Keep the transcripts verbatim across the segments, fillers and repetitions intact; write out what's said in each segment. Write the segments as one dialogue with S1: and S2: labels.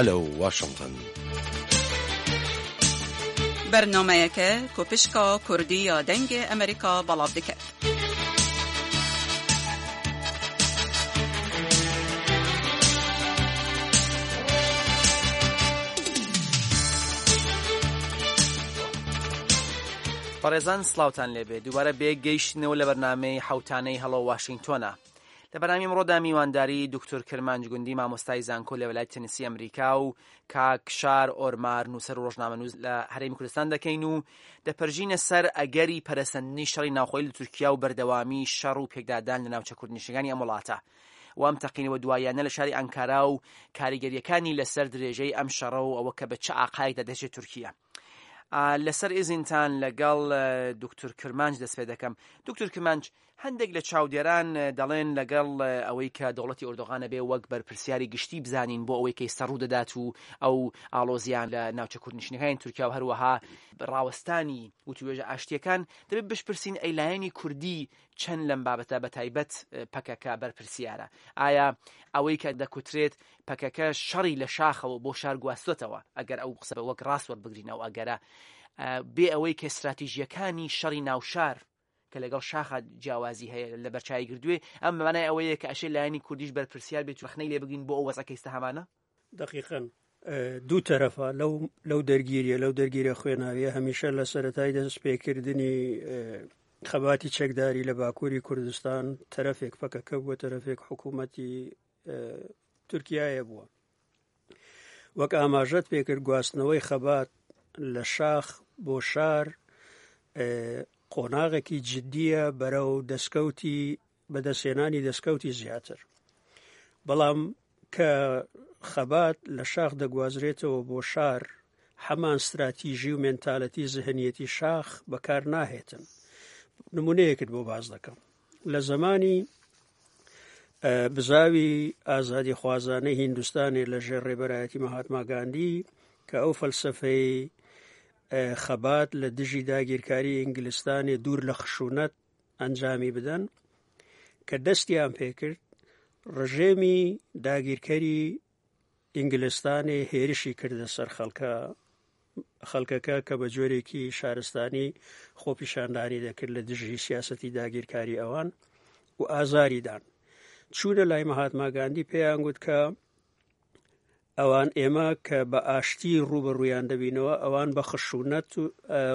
S1: Hello Washington.
S2: Bernameyeke ku pişka Kurdî ya Dengê Amerîka belav dike.
S3: بەڕێزان سڵاوتان لێبێ دووبارە بێ گەیشتنەوە لە بەرنامەی حوتانەی هەڵۆ واشنگتۆنە. لە بەرنامی ئەمڕۆدا میوانداری دکتۆر کرمانج گوندی مامۆستای زانکۆ لە وەلایەتی تەنسی ئەمریکا و کاک شار ئۆرمار نووسەر و ڕۆژنامەنووس لە هەرێمی کوردستان دەکەین و دەپەرژینە سەر ئەگەری پەرەسەندنی شەڕی ناوخۆی لە تورکیا و بەردەوامی شەڕ و پێکدادان لە ناوچە کوردنشینەکانی ئەم وڵاتە و ئەم تەقینەوە دواییانە لە شاری ئەنکارا و کاریگەریەکانی لەسەر درێژەی ئەم شەڕە و ئەوە کە بە چ ئاقایەکدا دەچێت تورکیا. لەسەر ئیزینتان لەگەڵ دکتۆر کرمانج دەست پێ دەکەم. دکتۆر کرمانج، هەندێک لە چاودێران دەڵێن لەگەڵ ئەوەی کە دەوڵەتی ئۆردوغانە بێ وەک بەرپرسیاری گشتی بزانین بۆ ئەوەی کە ئێستا ڕوو دەدات و ئەو ئاڵۆزیان لە ناوچە کوردنشینەکانی تورکیا و هەروەها ڕاوەستانی وتوێژە ئاشتیەکان، دەبێت بشپرسین ئەی لایەنی کوردی چەند لەم بابەتە بە تایبەت پەکەکە بەرپرسیارە؟ ئایا ئەوەی کە دەکوترێت پەکەکە شەڕی لە شاخەوە بۆ شار گواستوەتەوە، ئەگەر ئەو قسە وەک ڕاست وەربگرینەوە، ئەگەرە بێ ئەوەی کە استراتیژیەکانی شەڕی ناوشار کە لەگەڵ شاخە جیاوازی هەیە لە بەرچاوی گردوێ، ئەم مانای ئەوەیە کە ئەشێ لایەنی کوردیش بەرپرسیار بێت و ڕەخنەی لێ بگرین بۆ ئەو وەزعە ئێستا هەمانە؟
S4: دقیقاً دوو تەرەفە لەو لەو دەرگیریە، لەو دەرگیرە خوێناویە هەمیشە لە سەرەتای دەستپێکردنی خەباتی چەکداری لە باکووری کوردستان تەرەفێک پەکەکە بووە، تەرەفێک حکوومەتی تورکیایە بووە. وەک ئاماژەت پێکرد گواستنەوەی خەبات لە شاخ بۆ شار قۆناغێکی جدیە بەرەو دەستکەوتی بەدەستهێنانی دەستکەوتی زیاتر. بەڵام کە خەبات لە شاخ دەگوازرێتەوە بۆ شار، هەمان استراتیژی و مێنتالەتی زهنیەتی شاخ بەکار ناهێتن. نمونەیەکت بۆ باز دەکەم. لە زەمانی بزاوی ئازادی خوازانەی هیندوستانی لە ژێر ڕێبەرایەتی مەهاتما گاندی کە ئەو فەلسەفەی خەبات لە دژی داگیرکاری ئینگلستانی دوور لە خشونەت ئەنجامی بدەن، کە دەستیان پێکرد ڕژێمی داگیرکەری ئینگلستانی هێرشی کردە سەر خەڵکە خەڵکەکە کە بە جۆرێکی شارستانی خۆپیشاندانی دەکرد لە دژی سیاسەتی داگیرکاری ئەوان و ئازاری دان. چوونە لای مەهاتما گاندی پێیان گوت کە ئەوان ئێمە کە بە ئاشتی ڕوبەڕوویان دەبینەوە، ئەوان بە خشونەت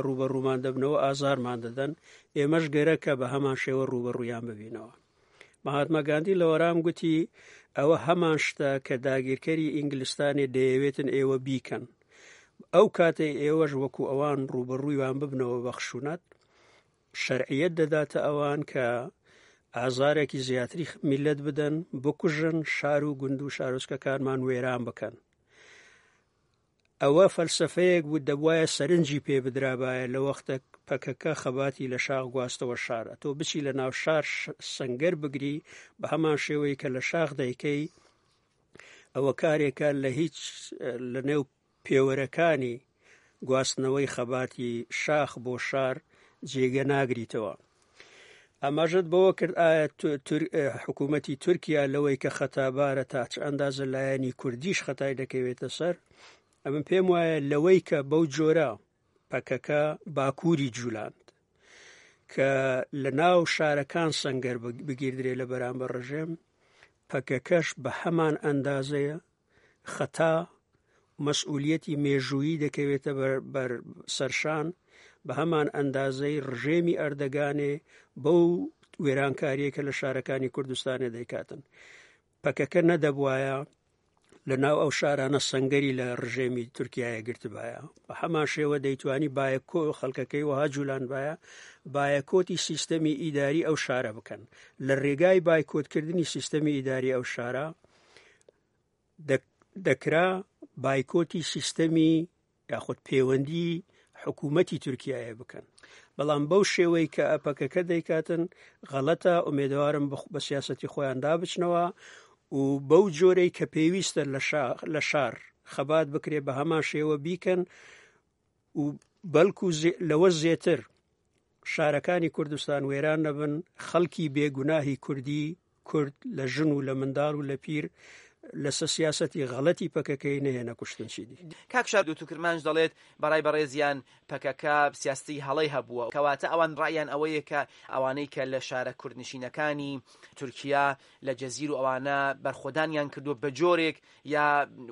S4: ڕوبەڕوومان دەبنەوە، ئازارمان دەدەن، ئێمەش گەرەکە بە هەمان شێوە ڕوبەڕوویان ببینەوە. مەهاتما گاندی لە وەرام گوتی ئەوە هەمان شتە کە داگیرکەری ئینگلستانی دەیەوێتن ئێوە بیکەن. ئەو کاتەی ئێوەش وەکو ئەوان ڕوبەڕوویان ببنەوە بە خشونەت، شەرعیەت دەداتە ئەوان کە ئازارێکی زیاتری میلەت بدەن، بکوژن، شار و گوند و شارۆچکەکانمان وێران بکەن. ئەوە فەلسەفەیەک بوو دەبوایە سەرنجی پێ بدرابایە لە وەختە پەکەکە خەباتی لە شاخ گواستەوە شارە. تۆ بچی لە ناو شار سەنگەر بگری بە هەمان شێوەی کە لە شاخ دەیکەی، ئەوە کارێکە لە هیچ لە نێو پێوەرەکانی گواستنەوەی خەباتی شاخ بۆ شار جێگە ناگریتەوە. ئاماژەت بەوە کرد ئایا حکوومەتی تورکیا لەوەی کە خەتابارە تا چ ئەندازە لایەنی کوردیش خەتای دەکەوێتە سەر، ئەمن پێم وایە لەوەی کە بەو جۆرە پەکەکە باکووری جوولاند کە لە ناو شارەکان سەنگەر بگیردرێ لە بەرامبەر ڕژێم، پەکەکەش بە هەمان ئەندازەیە خەتا مەسئولیەتی مێژوویی دەکەوێتە بەر سەرشان، بە هەمان ئەندازەی ڕژێمی ئەردەگانێ بەو وێرانکاریە کە لە شارەکانی کوردستانێ دەیکاتن. پەکەکە نەدەبوایە لە ناو ئەو شارانە سەنگەری لە ڕژێمی تورکیایە گرتبایە، بە هەمان شێوە دەیتوانی بایەکۆ خەڵکەکەی وەها جوولان باە بایەکۆتی سیستەمی ئیداری ئەو شارە بکەن. لە ڕێگای بایکۆتکردنی سیستەمی ئیداری ئەو شارە دەکرا بایکۆتی سیستەمی یاخود پەیوەندی حکوومەتی تورکیایە بکەن. بەڵام بەو شێوەی کە ئەپەکەکە دەیکاتن غەڵەتە. ئومێدەوارم بە سیاسەتی خۆیان دابچنەوە و بەو جۆرەی کە پێویستە لە شار خەبات بکرێ بە هەمان شێوە بیکەن و بەڵکو لەوە زیاتر شارەکانی کوردستان وێران نەبن، خەڵکی بێگوناهی کوردی کورد لە ژن و لە منداڵ و لە پیر لەسە سیاسەتی غەڵەتی پەکەکەی نەهێنە کوشتن چیدی.
S3: کاک شار دوتو کرمانج دەڵێت بەڕای بەڕێزیان پەکەکە سیاستی هەڵەی هەبووە، کەواتە ئەوان ڕایان ئەوەیە کە ئەوانەی کە لە شارە کوردنشینەکانی تورکیا لە جەزیر و ئەوانە بەرخۆدانیان کردووە بە جۆرێک یا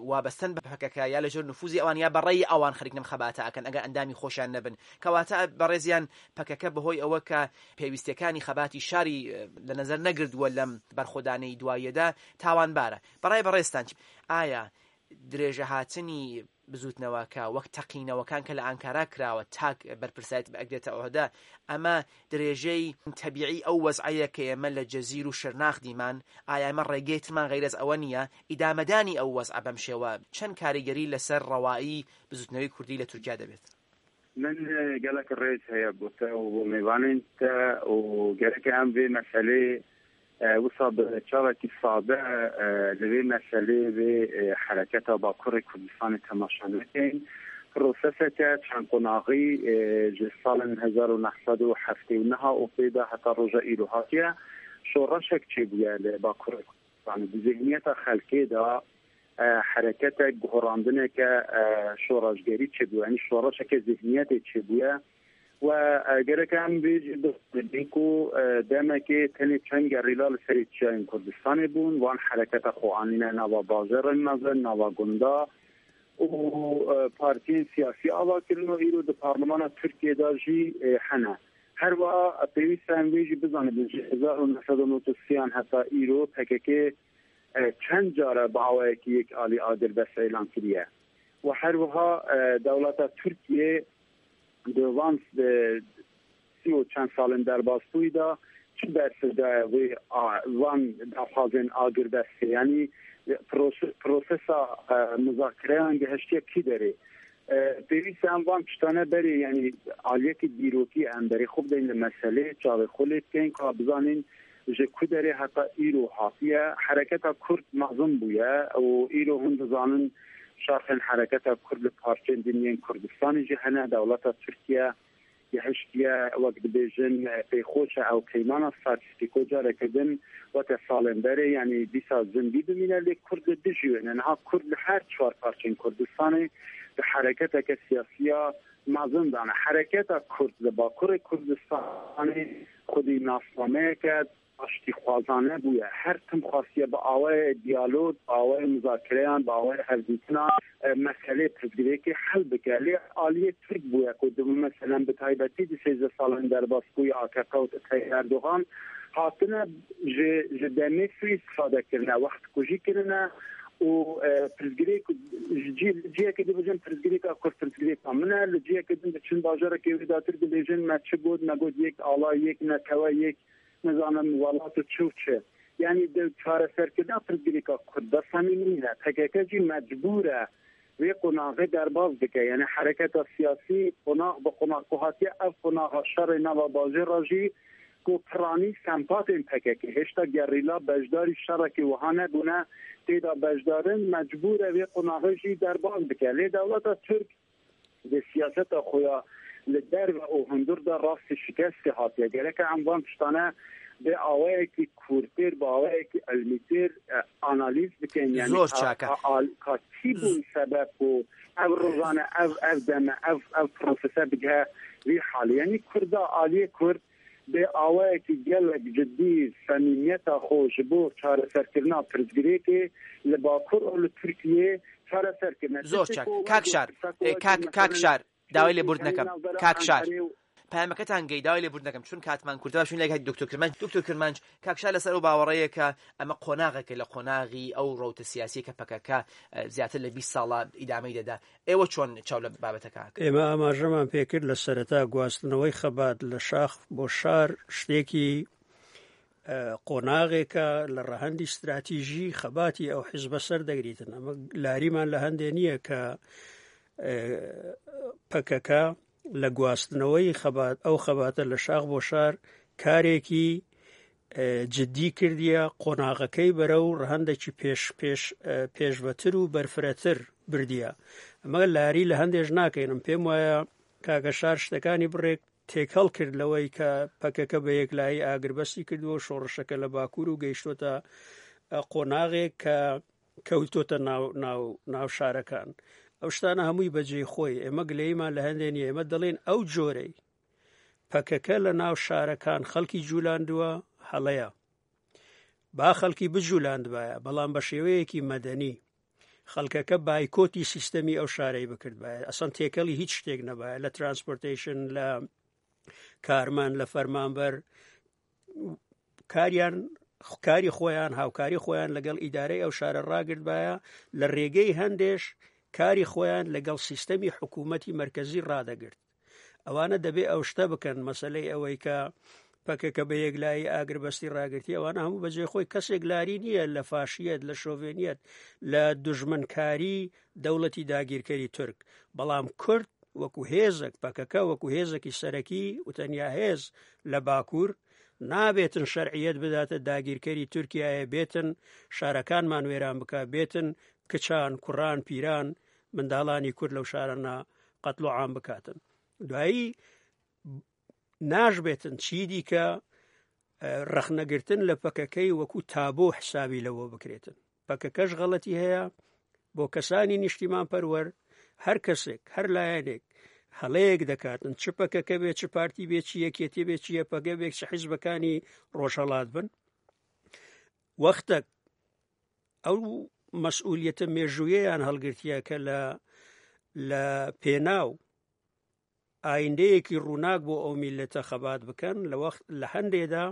S3: وابەستن بە پەکەکە یا لەژێر نفوزی ئەوان یا بەڕێی ئەوان خەریک لەم خەباتە ئەکەن ئەگەر ئەندامی خۆشیان نەبن. کەواتە بەڕێزیان پەکەکە بەهۆی ئەوە کە پێویستیەکانی خەباتی شاری لە نەزەر نەگردووە لەم بەرخۆدانەی دواییەدا تاوانبارە. بەڕای بەڕێزتان ئایا درێژەهاتنی بزوتنەوەکە وەک تەقینەوەکان کە لە ئانکارا کراوە تاک بەرپرسایەتی ئەگرێتە عهدە، ئەمە درێژەی تەبیعی ئەو وەزعەیە کە ئێمە لە جەزیر و شرناخ دیمان؟ ئایا ئێمە ڕێگەی ترمان غەیرەز ئەوە نییە؟ ئیدامەدانی ئەو وەزعە بەم شێوە چەند کاریگەری لەسەر ڕەوایی بزوتنەوەی کوردی لە تورکیا دەبێت؟
S1: من گەلەک ڕێز هەیە بۆ تە و بۆ میوانên te û gerek em vê meselê wisa bi çavekî sade li vê meselê vê hereketa Bakurê Kurdistanê temaşa nekin. Proseseke çend qonaxî ji salên hezar û neh sed û heftê û niha û pê de heta roja îro hatiye şoreşek çêbûye li Bakurê Kurdistanê. Di zihniyeta xelkê de hereketek guherandineke şoreşgerî çêbûye, yanî şoreşeke zihniyetê çêbûye و gerek em bêjin ku demekê tenê çend gerîla li serê çiyayên Kurdistanê bûn, wan hereketa xwe anîne nava bajarên mezin, nava gunda û partiyên siyasî ava kirin û îro di parlemana Tirkiyê de jî hene. Her wiha pêwîst e em vê jî bizanibin ji hezar û neh sed û nod û sêyan heta îro P K K çend care bi awayekî yek alî agirbest îlan kiriye. û her wiha dewleta Tirkiyê di van سی و çend salên derbasbûyî de çi bersiv daye wê van daxwazên agirbestê, yanî prosesa muzakireyan gehiştiye kî derê. Pêwîst em van tiştane berê, yanî aliyekî dîrokî em berê xwe bidin li meselê, çavê xwe lê bikin ka bizanîn ji ku derê heta îro hatiye. Hereketa Kurd mezin bûye û îro hûn dizanin şaxên hereketa Kurd li parçeyên din yên Kurdistanê jî hene. Dewleta Tirkiye gehiştiye wek dibêjin pêxoş e ew peymana Sykes-Picot careke din weke salên berê, yanî dîsa zindî bimîne, lê Kurd li dijî wê ne. Niha Kurd li her çar parçeyên Kurdistanê di hereketeke siyasiya mezin de ne. Hereketa Kurd li Bakurê Kurdistanê xwedî nasnameyeke aştîxwazane bûye. Her tim xwastiye bi awayê diyalog, bi awayê muzakireyan, bi awayê hevdîtina meselê pirsgirêkê hel bike. Lê aliyê Tirk bûye ku di meselen bi taybetî di sêzdeh salên derbasbûyî A K P û Tayyip Erdogan hatine ji ji demê suîstifade kirine, wextkujî kirine û pirsgirêk ji ciyekê dibêjin pirsgirêka Kurd pirsgirêka min e, li ciyekê din diçin bajarekê wêdatir dibêjin me çi got, me got yek ala, yek netewe, yek nizanim welat û çi û çi. Yani di çareserkirina pirsgirêka Kurd de samîmî ne. P K K jî mecbûr e wê qonaxê derbas bike. Yani hereketa siyasî qonax bi qonax ku hatiye ev qonaxa şerê nava bajêr re jî ku piranî sempatên P K K hêşta gerîla beşdarî şerekê wiha nebûne tê de beşdarin, mecbûr e wê qonaxê jî derbas bike. Lê dewleta Tirk di siyaseta xwe ya li derve û hundir de rastî şikestê hatiye. Gerek em van tiştane bi awayekî kûrtir, bi awayekî ilmîtir analîz bikin. Yani
S3: zor çaka.
S1: Ka çi bûn sebeb ku ev rojane, ev ev deme, ev ev prosese bigihe vî halê. Yani Kurda aliyê Kurd bi awayekî gelek cidî samîmiyeta xwe ji bo çareserkirina pirsgirêkê li Bakur û li Tirkiyê çareser kirine.
S3: زۆر چاک. کاک شار، کاک کاک شار، داوای لێبوردن دەکەم. کاک شار، پەیامەکەتان گەی، داوای لێبوردن دەکەم چون کاتمان کورتە. باشین لەگەڵ دکتۆر کرمانج. دکتۆر کرمانج، کاک شار لەسەر ئەو باوەڕەیە کە ئەمە قۆناغێکە لە قۆناغی ئەو ڕەوتە سیاسیە کە پەکەکە زیاتر لە بیست ساڵە ئیدامەی دەدا. ئێوە چۆن چاو لە بابەتەکە؟
S4: ئێمە ئاماژەمان پێکرد لە سەرەتا گواستنەوەی خەبات لە شاخ بۆ شار شتێکی قۆناغێکە لە ڕەهەندی استراتیژی خەباتی ئەو حیزبە سەر دەگریتن. ئەمە لاریمان لە هەندێ نییە کە پەکەکە لە گواستنەوەی خەبات ئەو خەباتە لە شاخ بۆ شار کارێکی جدی کردیە، قۆناغەکەی بەرەو ڕەهەندێکی پێش پێش پێشبەتر و بەرفرەتر بردیە. ئەمە لاری لە هەندێش ناکەینم. پێم وایە کاکە شار شتەکانی بڕێک تێکەڵ کرد لەوەی کە پەکەکە بە یەکلایی ئاگربەستی کردووە شۆڕشەکە لە باکوور و گەیشتۆتە قۆناغێک کە کەوتۆتە ناو ناو ناو شارەکان. ئەو شتانە هەمووی بەجێی خۆی، ئێمە گلەیمان لە هەندێ نییە، ئێمە دەڵێن ئەو جۆرەی پەکەکە لە ناو شارەکان خەڵکی جوولاندووە هەڵەیە. با خەڵکی بجوولاندبایە، بەڵام بە شێوەیەکی مەدەنی خەڵکەکە بایکۆتی سیستەمی ئەو شارەی بکردبایە، ئەسەن تێکەڵی هیچ شتێک نەبایە، لە transportation، لە کارمان، لە فەرمانبەر، کاریان کاری خۆیان، هاوکاری خۆیان لەگەڵ ئیدارەی ئەو شارە ڕاگرتبایە، لە ڕێگەی هەندێش کاری خۆیان لەگەڵ سیستەمی حکوومەتی مەرکەزی ڕادەگرت. ئەوانە دەبێ ئەو شتە بکەن. مەسلەی ئەوەی کە پەکەکە بە یەکلایی ئاگربەستی ڕاگرتی، ئەوانە هەموو بەجێ خۆی. کەسێک لاری نییە لە فاشیەت، لە شۆڤێنیەت، لە دوژمنکاری دەوڵەتی داگیرکەری تورک، بەڵام کورد وەکو هێزێک، پەکەکە وەکو هێزێکی سەرەکی و تەنیا هێز لە باکوور، نابێتن شەرعیەت بداتە داگیرکەری تورکیایە، بێتن شارەکانمان وێران بکە، بێتن کچان، کوڕان، پیران، منداڵانی کورد لەو شارانە قەتڵ و عام بکاتن. دوایی ناش بێتن چی دیکە ڕەخنەگرتن لە پەکەکەی وەکو تابۆ حسابی لەوە بکرێتن. پەکەکەش غەڵەتی هەیە بۆ کەسانی نیشتیمان پەروەر، هەر کەسێک، هەر لایەنێک هەڵەیەک دەکاتن، چ پەکەکە بێ، چ پارتی بێ، چ یەکێتی بێ، چ یەپەگە بێ، چ حیزبەکانی ڕۆژهەڵات بن، وەختێک ئەو مەسئولیەتە مێژوویەیان هەڵگرتیە کە لە لە پێناو ئایندەیەکی ڕووناک بۆ ئەو میلەتە خەبات بکەن، لە وەخت لە هەندێدا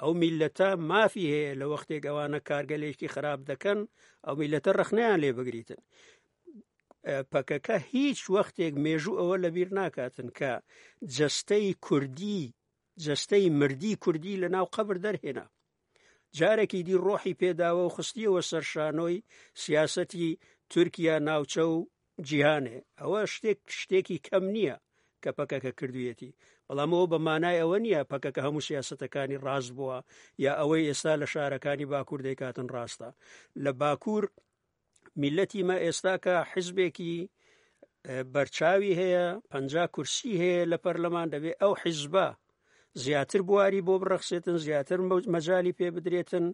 S4: ئەو میلەتە مافی هەیە لە وەختێک ئەوانە کارگەلێکی خراپ دەکەن ئەو میلەتە ڕەخنەیان لێ بگریتن. پەکەکە هیچ وەختێک مێژوو ئەوە لەبیر ناکاتن کە جەستەی کوردی، جەستەی مردی کوردی لە ناو قەبر دەرهێنا، جارێکی دی ڕۆحی پێداوە و خستیەوە سەر شانۆی سیاسەتی تورکیا، ناوچە و جیهانێ. ئەوە شتێک شتێکی کەم نییە کە پەکەکە کردوویەتی، بەڵام ئەوە بە مانای ئەوە نییە پەکەکە هەموو سیاسەتەکانی ڕاست بووە یا ئەوەی ئێستا لە شارەکانی باکوور دەیکاتن ڕاستە. لە باکوور میلەتی مە ئێستا کە حیزبێکی بەرچاوی هەیە، پەنجا کورسی هەیە لە پەرلەمان، دەبێ ئەو حیزبە زیاتر بواری بۆ بڕەخسێتن، زیاتر مەجالی پێ بدرێتن،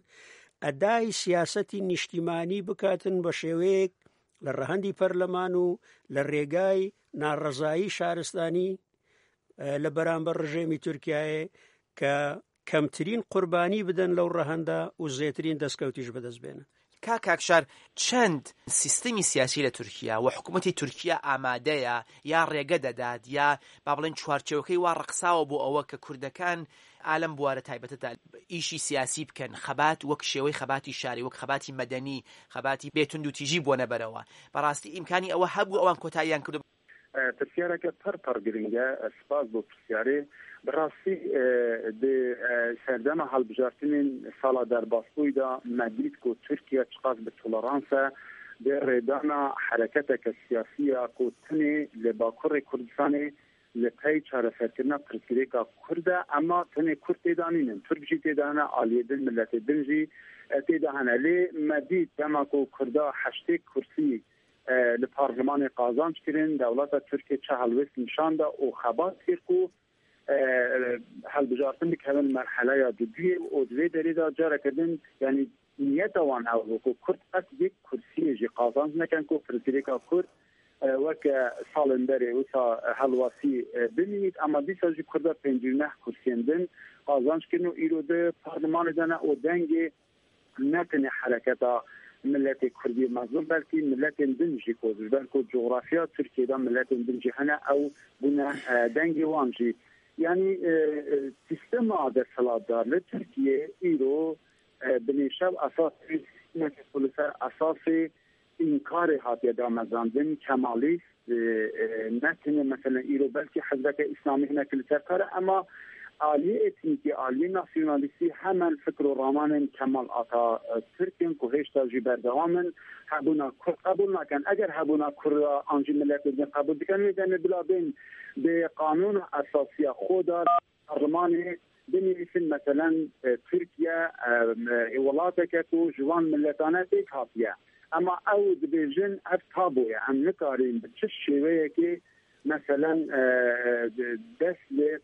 S4: ئەدای سیاسەتی نیشتیمانی بکاتن بە شێوەیەک لە ڕەهەندی پەرلەمان و لە ڕێگای ناڕەزایی شارستانی لە بەرامبەر ڕژێمی تورکیایە کە کەمترین قوربانی بدەن لەو ڕەهەندە و زێترین دەستکەوتیش بەدەست بێنن.
S3: کاک ئاکشار، چەند سیستمی سیاسی لە تورکیا و حکوومەتی تورکیا ئامادەیە یا ڕێگە دەدات یا با بڵێن چوارچێوەکەی وا ڕەخساوە بۆ ئەوە کە کوردەکان ئالەم بوارە تایبەتەدا ئیشی سیاسی بکەن، خەبات وەک شێوەی خەباتی شاری، وەک خەباتی مەدەنی، خەباتی بێتوندوتیژی بۆ نەبەرەوە؟ بەڕاستی ئیمکانی ئەوە هەبوو ئەوان کۆتاییان کردو؟
S1: پرسیارەکە پڕ پڕ گرنگە، سپاس بۆ پرسیارێ. بەڕاستی سەردەمە هەڵبژارتنین ساڵا دەرباسبوویدا مەدید کو تورکیا چقاس بە تۆلەرانسە بێ ڕێدانا حرەکەتەکە سیاسیە کو تنێ لە باکوڕی کوردستانێ لە پەی چارەسەرکردنا پرسگرێکا کوردە، ئەما تنێ کورد تێدا نینن، تورک ژی تێدا هەنە، ئالیێ دن ملەتێ دن ژی تێدا هەنە. لێ مەدید دەما کو کوردا هەشتێک کورسی لە پارلمانی قازانج کردن، دەوڵەتە تورکیە چه هەڵوێست نیشاندا و خەبات کرد و هەڵبژارتن بکەون مەرحەلەیا دوویێ و دوێ دەرێدا جارەکردن، یعنی نیەتە وان ئەو بوو کو کورد قەت یەک کورسیێ ژی قازانج نەکەن کو پرسگرێکا کورد وەک ساڵên بەرێ وسا هەڵواسی بمینیت. ئەما دیسا ژی کوردا پێنجی و نەه کورسیێن دن قازانج کردن و ئیرۆ دە پارلمانێ دەنە و دەنگێ نەتنێ حرەکەتا ملت کوردی مەزلوم، بەلکی ملەتên din jî ku ji ber ku coğrafya Tirkiyê miletên din jî hene ew bûne dengê wan jî. Yani sîstema desthilatdar li Tirkiye îro binêşev esasê sîstemeke ku li ser esasê înkarê hatiye damezandin, kemalîst ne tenê mesela îro belkî hizbeke İslamî hinek li ser kar e, ema aliyê etnîkî, aliyê nasyonalîstî hemen fikr û ramanên Kemal Atatürk'in ku hêşta jî berdewam in, hebûna Kurd qebûl nakin. Eger hebûna Kurd an jî miletê din qebûl dikin, wê demê bila bên bi qanûna esasiya xwe da parlemanê binivîsin meselen Tirkiye welateke ku ji wan miletane pêk hatiye. Ema ew dibêjin ev taboye, em nikarîn bi çi şêweyekê meselen dest lê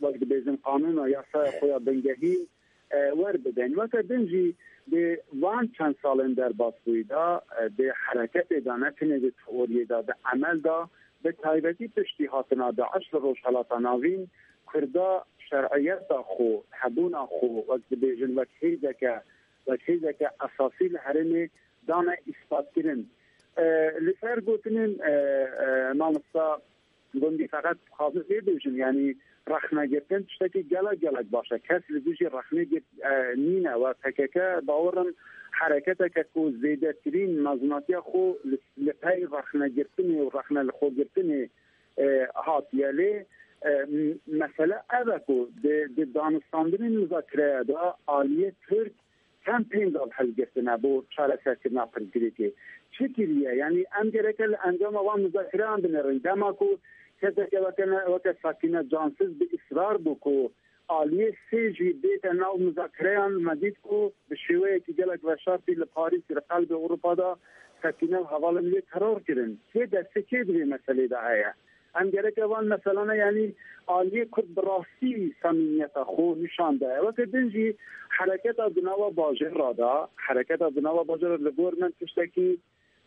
S1: wek dibêjin qanûna yasaya xwe ya bingehîn وەربدەین. Weke din jî di van çend salên derbasbûyî de di hereketê de ne tenê di teoriyê de di emel de bi taybetî piştî hatina Daîş li Rojhilata Navîn Kurda şer'iyeta xwe hebûna xwe wek dibêjin wek hêzeke wek hêzeke esasî li herêmê dane îspatkirin. Li ser gotinên mamosta Gundî feqet dixwazim vê bêjim yanî rexnegirtin tiştekî gelek gelek baş e. Kes li dijî rexnê nîne we P K K bawerim hereketeke ku zêdetirîn mezinatiya xwe li pey rexnegirtinê û rexne li xwegirtinê hatiye lê mesele ev e ku di danûstandinên muzakireya de aliyê Türk çend pêngav hilgirtine bo çareserkirina pirsgirêkê. Çi kiriye? Yani em gereke li encama van muzakireyan binêrin. Dema ku keseke weke Sakine Cansiz bi israr bû ku aliyê sê jî bête nav muzakireyan me dît ku bi şêweyekî gelek veşartî li Parîs li qelbê Ewropa da Sakine û hevalên wê teror kirin. Kê destê kê di vê meselê de heye? Em gereke van meselana yani aliyê Kurd bi rastî samimiyeta xwe nîşan daye. Weke din jî hereketa di nava bajêr re da, hereketa di nava bajêr li gor min tiştekî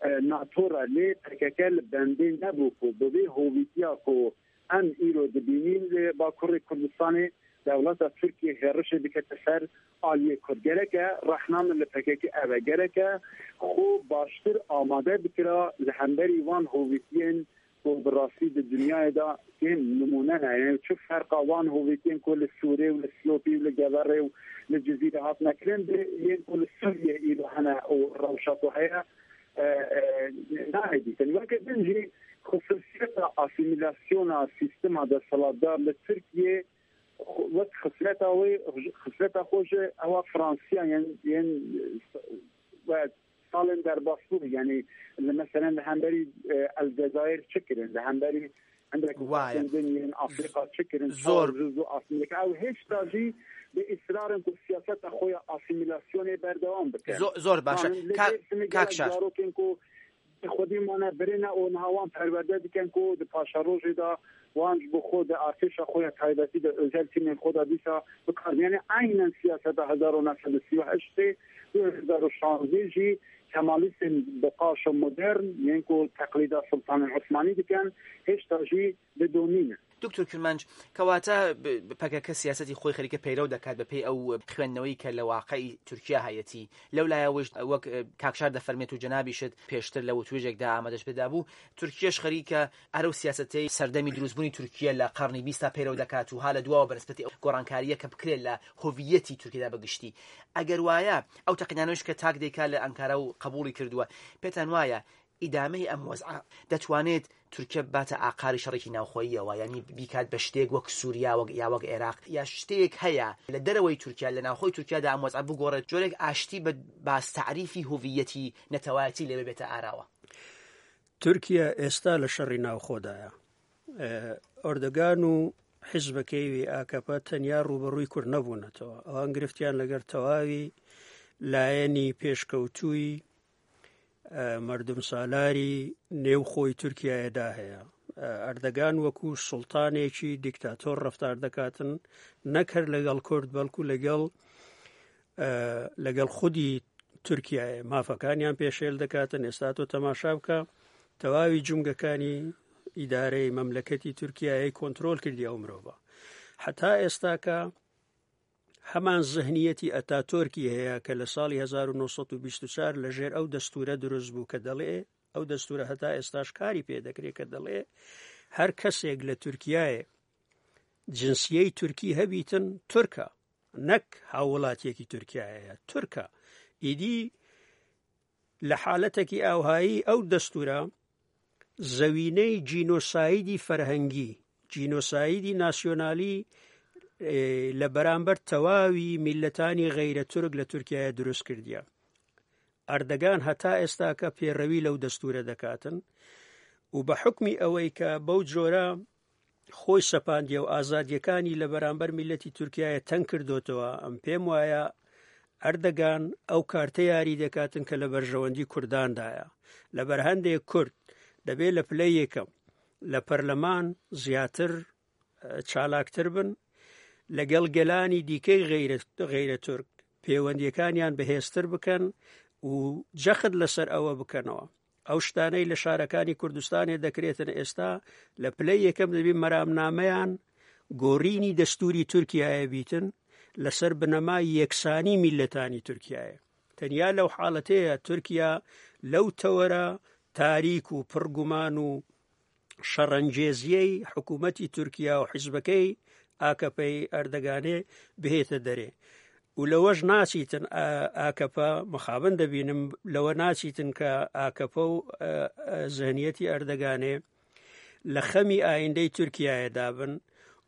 S1: natora lê P K K li bendê nebû ku bi vê hovîtiya ku em îro dibînîn li Bakurê Kurdistanê dewleta Tirkiye hêrişê dikete ser aliyê Kurd. Gereke rexna min li P K K ev e. Gereke xwe baştir amade bikira li hemberî wan hovîtiyên ku bi rastî di dinyayê de kêm nimûne ne. Yani çi ferqa wan hovîtiyên ku li Sûrê û li Silopî û li Geverê û li Cizîrê hatine kirin bi yên ku li Sûriyê îro hene û rewşa ku heye nayê dîtin. Weke din jî xisûsiyeta asîmîlasyona sîstema desthilatdar li Tirkiyê wek xisleta wê xisleta xwe ji ewa Fransiya yên yên salên derbasbû yani li meselen li hemberî Elcezayir çi kirin li hemberî hindek din yên Afrika çi kirin
S3: zor
S1: zû asîmîle ew hêşta jî bi israrin ku siyaseta xwe ya asîmîlasyonê berdewam bike.
S3: Zor baş e. Kak Şar
S1: zarokên ku xwedî mane birine û niha wan perwerde dikin ku di paşerojê de wan ji bo xwe di artêşa xwe ya taybetî de özel tîmên xwe de dîsa bikar. Yani aynen siyaseta hezar û neh sed û sî û heştê du hezar û şanzdeh jî Kemalîstên bi qaşo modern yên ku teqlîda Sultanên Osmanî dikin hêşta jî didomîne.
S3: دکتۆر کرمانج کەواتە P K K سیاسەتی خۆی خەریکە پەیرەو دەکات بەپێی ئەو خوێندنەوەی کە لە واقعی تورکیا هەیەتی. لەو لایەوەش وەک کاکشار دەفەرمێت و جەنابیشت پێشتر لە وتوێژێکدا ئامادەش پێدا بوو، تورکیەش خەریکە ئەرەو سیاسەتەی سەردەمی دروستبوونی تورکیا لە قەرنی بیستا پەیرەو دەکات و ها لە دواوە بەنسبەتی گۆڕانکارییە کە بکرێت لە هۆڤیەتی تورکیادا بەگشتی. ئەگەر وایە ئەو تەقینانەوەش کە تاک دەیکا لە ئەنکارا و قبوڵی کردووە، پێتان وایە ئیدامەی ئەم وەزعە دەتوانێت تورکیا باتە ئاقاری شەڕێکی ناوخۆییەوە، یعنی بیکات بە شتێک وەک سووریا وەک یا وەک عێراق، یا شتێک هەیە لە دەرەوەی تورکیا لە ناوخۆی تورکیادا ئەم وەزعە بگۆڕێت، جۆرێک ئاشتی بە باس تەعریفی هویەتی نەتەوایەتی لێ ببێتە ئاراوە؟
S4: تورکیا ئێستا لە شەڕی ناوخۆدایە. ئەردۆگان و حیزبەکەی ئاکەپە تەنیا ڕووبەڕووی کورد نەبوونەتەوە، ئەوان گرفتیان لەگەر تەواوی لایەنی پێشکەوتووی مردم سالاری نێوخۆی تورکیایەدا هەیە. ئەردەگان وەکو سوڵتانێکی دیکتاتۆر ڕەفتار دەکاتن، نەک هەر لەگەڵ کورد بەڵکو لەگەڵ لەگەڵ خودی تورکیایە مافەکانیان پێشێل دەکاتن. ئێستا تۆ تەماشا بکە تەواوی جومگەکانی ئیدارەی مەملەکەتی تورکیایەی کۆنترۆل کردی ئەو مرۆڤە. حتا ئێستاکە هەمان زهنیەتی ئەتاتۆرکی هەیە کە لە ساڵی هەزار و نۆ سەد و بیست و چوار لەژێر ئەو دەستورە دروست بوو کە دەڵێ ئەو دەستورە هەتا ئێستاش کاری پێدەکرێت کە دەڵێ هەر کەسێک لە تورکیایە جنسیەی تورکی هەبیتن تورکە، نەک هاوڵاتیەکی تورکیایە، تورکە. ئیدی لە حالەتێکی ئاوهایی ئەو دەستورە زەوینەی جینۆسایدی فەرهەنگی، جینۆسایدی ناسیۆنالی لە بەرامبەر تەواوی میلەتانی غەیرە تورک لە تورکیاە دروست کردیە. ئەردەگان هەتا ئێستاکە پێڕەوی لەو دەستورە دەکاتن و بە حکمی ئەوەی کە بەو جۆرە خۆی سەپاندیە و ئازادیەکانی لە بەرامبەر میلەتی تورکیایە تەنگ کردوتەوە، ئەم پێم وایە ئەردەگان ئەو کارتە یاری دەکاتن کە لە بەرژەوەندی کورداندایە. لە بەرهەندێک کورد دەبێت لە پلەی یەکەم لە پەرلەمان زیاتر چالاکتر بن، لەگەڵ گەلانی دیکەی غەیرە تورک پەیوەندیەکانیان بەهێزتر بکەن و جەخت لەسەر ئەوە بکەنەوە. ئەو شتانەی لە شارەکانی کوردستانێ دەکرێتن ئێستا لە پلەی یەکەم دەبی مەرامنامەیان گۆڕینی دەستوری تورکیایە بیتن لەسەر بنەمای یەکسانی میلەتانی تورکیایە. تەنیا لەو حاڵەتەیە تورکیا لەو تەوەرە تاریک و پڕگومان و شەڕەنگێزیەی حکوومەتی تورکیا و حیزبەکەی ئاکەپەی ئەردەگانێ بهێتە دەرێ. و لەوەش ناچیتن ئاکەپە، مخابن دەبینم لەوە ناچیتن کە ئاکەپە و زهنیەتی ئەردەگانێ لە خەمی ئایندەی تورکیایە دابن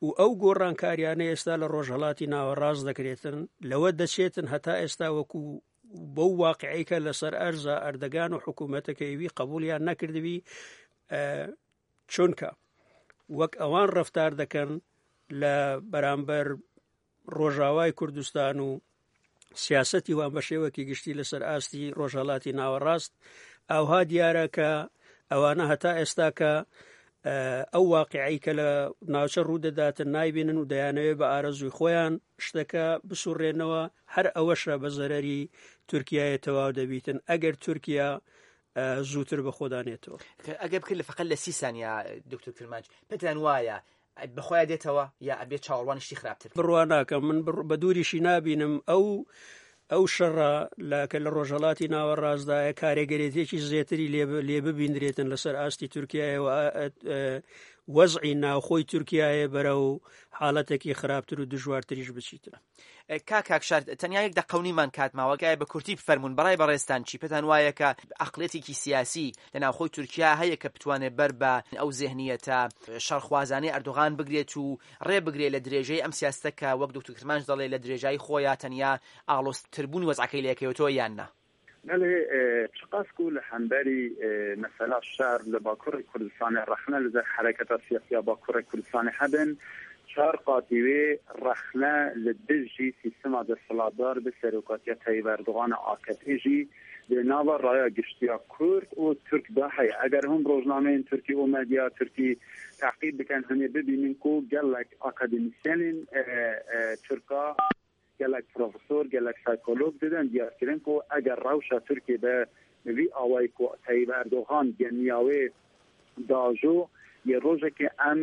S4: و ئەو گۆڕانکاریانە ئێستا لە ڕۆژهەڵاتی ناوەڕاست دەکرێتن لەوە دەچێتن هەتا ئێستا وەکو بەو واقعی کە لەسەر ئەرزە ئەردەگان و حکوومەتەکەیوی قبولیان نەکردبی، چونکە وەک ئەوان ڕەفتار دەکەن لە بەرامبەر ڕۆژاوای کوردستان و سیاسەتی وان بە شێوەکی گشتی لەسەر ئاستی ڕۆژهەڵاتی ناوەڕاست، ئاوها دیارە کە ئەوانە هەتا ئێستا کە ئەو واقعی کە لە ناوچە ڕوودەداتن نایبینن و دەیانەوێت بە ئارەزووی خۆیان شتەکە بسوڕێنەوە، هەر ئەوەشە بە زەرەری تورکیایە تەواو دەبیتن ئەگەر تورکیا زووتر بە خۆدانێتەوە.
S3: ئەگەر بکرێت لە فقط لە سی سانیا دکتۆر کرمانج، پێتان وایە بەخۆیان دێتەوە یا ئەبێ چاوەڕوانی شتی خراپتر؟
S4: بڕوا ناکەم، من بە دووریشی نابینم ئەو ئەو شەڕە کە لە ڕۆژهەڵاتی ناوەڕاستدایە کارێگەرێتێکی زیاتری لێ ببیندرێتن لەسەر ئاستی تورکیایە و وەزعی ناوخۆی تورکیایە بەرەو حاڵەتێکی خراپتر و دژوارتریش بچیتن.
S3: کاک کاکشار، تەنیا یەک دەقەونیمان کات ماوە، گایە بە کورتی بفەرموون بەڕای بەڕێزتان چی؟ پێتان وایە کە عەقڵیەتێکی سیاسی لە ناوخۆی تورکیا هەیە کە بتوانێت بەر بە ئەو زێهنیەتە شەڕخوازانەی ئەردۆغان بگرێت و ڕێ بگرێت لە درێژەی ئەم سیاستە کە وەک دکتۆر کرمانج دەڵێ لە درێژایی خۆیان تەنیا ئاڵۆزتربوونی وەزعەکەی لێکەوێتەوە یان نا؟
S1: بەڵێ، چقاس کو لە هەمبەری مەسەلا شەر لە باکوڕی کوردستانی ڕەخنە لەسەر حرەکەتە سیاسیا باکوڕی کوردستانی هەبن، چار قاتیوێ ڕەخنە لە دژی سیستما دەسەڵاتدار بە سەرۆکاتیا تەیب ئەردۆغان ئاکەپێ ژی di nava raya giştiya Kurd û Türk da heye. Eger hûn rojnameyên Tirkî û medya Tirkî teqîb bikin hûn ê bibînin ku gelek akademîsyenên Türka, gelek profesor, gelek psikolog didin diyar kirin ku eger rewşa Tirkiye be vî awayî ku Tayyip Erdogan geniya wê dajo yê rojekê em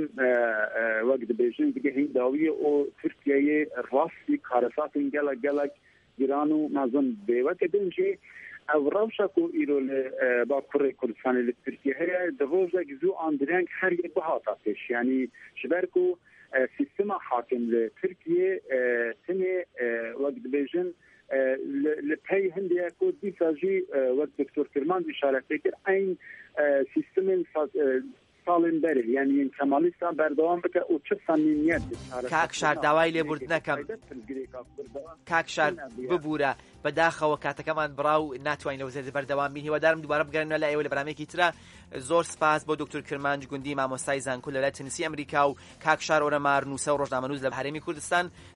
S1: wek dibêjin digehîn dawiyê û Tirkiyeyê rastî karesatên gelek gelek giran û mezin bê. Weke din jî ew rewşa ku îro li Bakurê Kurdistanê li Tirkiye heye di rojek zû an direng her yek bihata pêş. Yanî ji ber ku سیستما حاکم li Tirkiye tenê wek dibêjin li pey hindiye ku dîsa jî wek Doktor Kirmanc işaret kir eyn sîstemên ساڵên berê yani yên Kemalîstan berdewam bike û çi samîmiyet
S3: کاک شار داوای لێبوردنەکەم، کاک شار ببوورە، بەداخەوە کاتەکەمان بڕا و ناتوانین لەو زێدە بەردەوام بین. هیوادارم دووبارە بگەڕێنەوە لای ئێوە لە بەرنامەیەکی ترە. زۆر سپاس بۆ دکتۆر کرمانج گوندی مامۆستای زانکۆ لە ویلایەتی تنسی ئەمریکا و کاک شار ئۆرەمار نووسە و ڕۆژنامەنووس لە هەرێمی کوردستان.